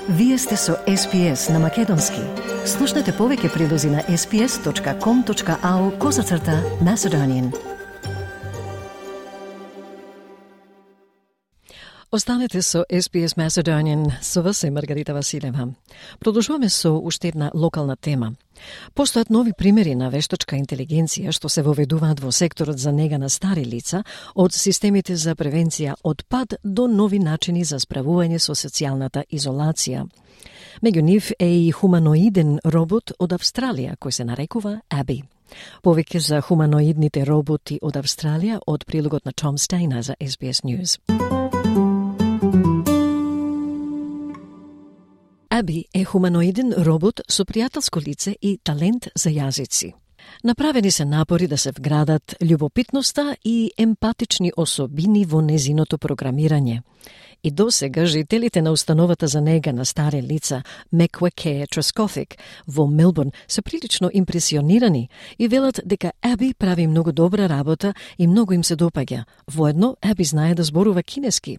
Вие сте со SPS на Македонски. Слушнете повеќе прилози на sps.com.au/Macedonian. Останете со SPS Macedonian, со вас е Маргарита Василева. Продолжуваме со уште една локална тема. Постојат нови примери на вештачка интелигенција што се воведуваат во секторот за нега на стари лица, од системите за превенција од пад до нови начини за справување со социјалната изолација. Меѓу нив е и хуманоиден робот од Австралија, кој се нарекува Аби. Повеќе за хуманоидните роботи од Австралија од прилогот на Том Стейнер за SBS News. Аби е хуманоиден робот со пријателско лице и талент за јазици. Направени се напори да се вградат љубопитноста и емпатични особини во незиното програмирање. И досега жителите на установата за нега на стари лица Mekwaké Trescothick во Мелбурн се прилично импресионирани и велат дека Аби прави многу добра работа и многу им се допаѓа. Воедно, Аби знае да зборува кинески.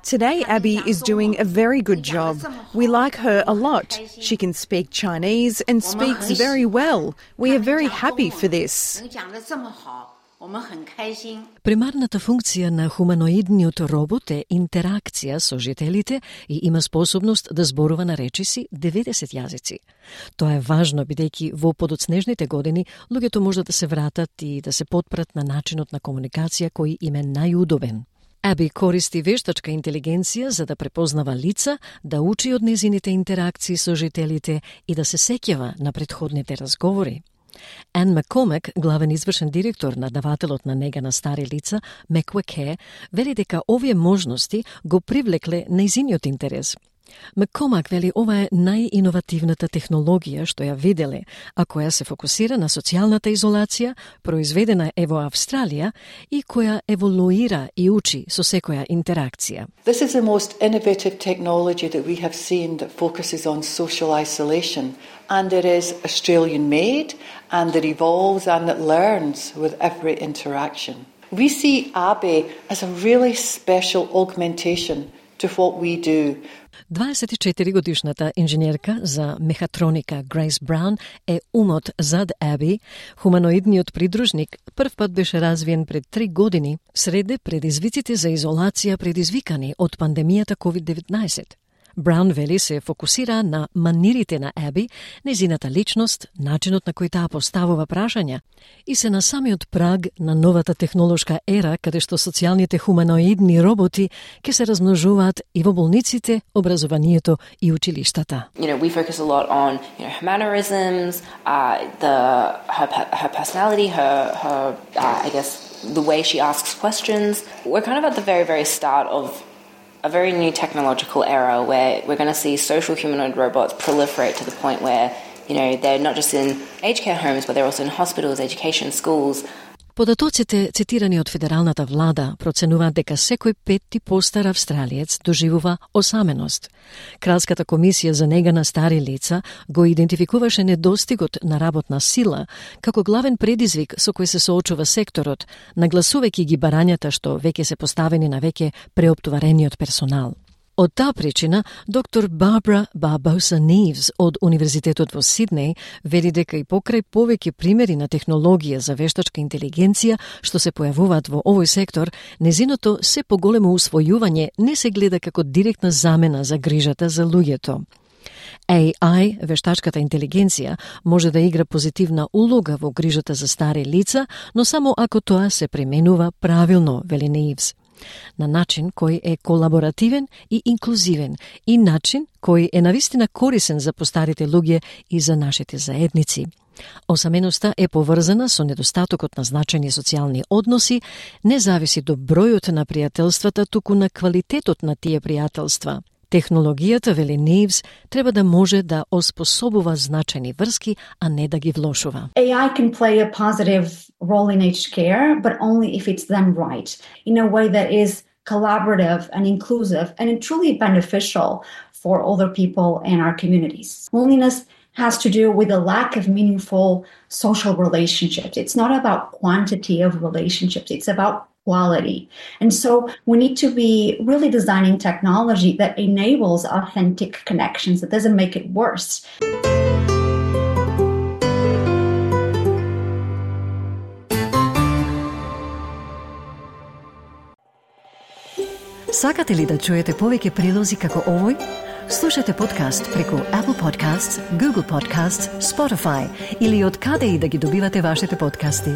Today, Abby is doing a very good job. We like her a lot. She can speak Chinese and speaks very well. We are very happy for this. Примарната функција на хуманоидниот робот е интеракција со жителите и има способност да зборува на речиси 90 јазици. Тоа е важно бидејќи во подоцнежните години луѓето можат да се вратат и да се потпрат на начинот на комуникација кој им е најудобен. Аби користи вештачка интелигенција за да препознава лица, да учи од незините интеракции со жителите и да се сеќава на претходните разговори. Ан Маккомек, главен извршен директор на давателот на нега на стари лица, Mekwaké, вели дека овие можности го привлекле нејзиниот интерес. Маккомак вели ова е најиновативната технологија што ја виделе, а која се фокусира на социјалната изолација, произведена е во Австралија и која еволуира и учи со секоја интеракција. This is the most innovative technology that we have seen that focuses on social isolation, and it is Australian made, and it evolves and it learns with every interaction. We see Abbey as a really special augmentation to what we do. 24-годишната инженерка за мехатроника Грейс Браун е умот зад Аби. Хуманоидниот придружник прв пат беше развиен пред 3 години среде предизвиците за изолација предизвикани од пандемијата COVID-19. Браун вели се фокусира на манирите на Аби, незината личност, начинот на кој таа поставува прашања и се на самиот праг на новата технолошка ера каде што социјалните хуманоидни роботи ќе се размножуваат и во болниците, образованието и училиштата. We focus a lot on, her mannerisms, her personality, her I guess the way she asks questions. We're kind of at the very, very start of a very new technological era where we're going to see social humanoid robots proliferate to the point where, they're not just in aged care homes, but they're also in hospitals, education, schools. Податоците цитирани од федералната влада проценуваат дека секој 5 постар австралиец доживува осаменост. Кралската комисија за нега на стари лица го идентификуваше недостигот на работна сила како главен предизвик со кој се соочува секторот, нагласувајќи ги барањата што веќе се поставени на веќе преоптоварениот персонал. Од таа причина, доктор Барбара Барбоса-Нивс од Универзитетот во Сиднеј вели дека и покрај повеќе примери на технологија за вештачка интелигенција што се појавуваат во овој сектор, незиното се поголемо усвојување не се гледа како директна замена за грижата за луѓето. AI, вештачката интелигенција, може да игра позитивна улога во грижата за стари лица, но само ако тоа се применува правилно, вели Нивс. На начин кој е колаборативен и инклузивен и начин кој е навистина корисен за постарите луѓе и за нашите заедници. Осаменоста е поврзана со недостатокот на значајни социјални односи, не зависи до бројот на пријателствата, туку на квалитетот на тие пријателства. Технологијата, вели Нивс, треба да може да оспособува значајни врски, а не да ги влошува. AI can play a positive role in aged care, but only if it's done right, in a way that is collaborative and inclusive and truly beneficial for older people and our communities. Loneliness has to do with a lack of meaningful social relationships. It's not about quantity of relationships. It's about quality. And so we need to be really designing technology that enables authentic connections, that doesn't make it worse. Сакате ли да чуете повеќе прилози како овој? Слушате подкаст преку Apple Podcasts, Google Podcasts, Spotify или од каде и да ги добивате вашите подкасти.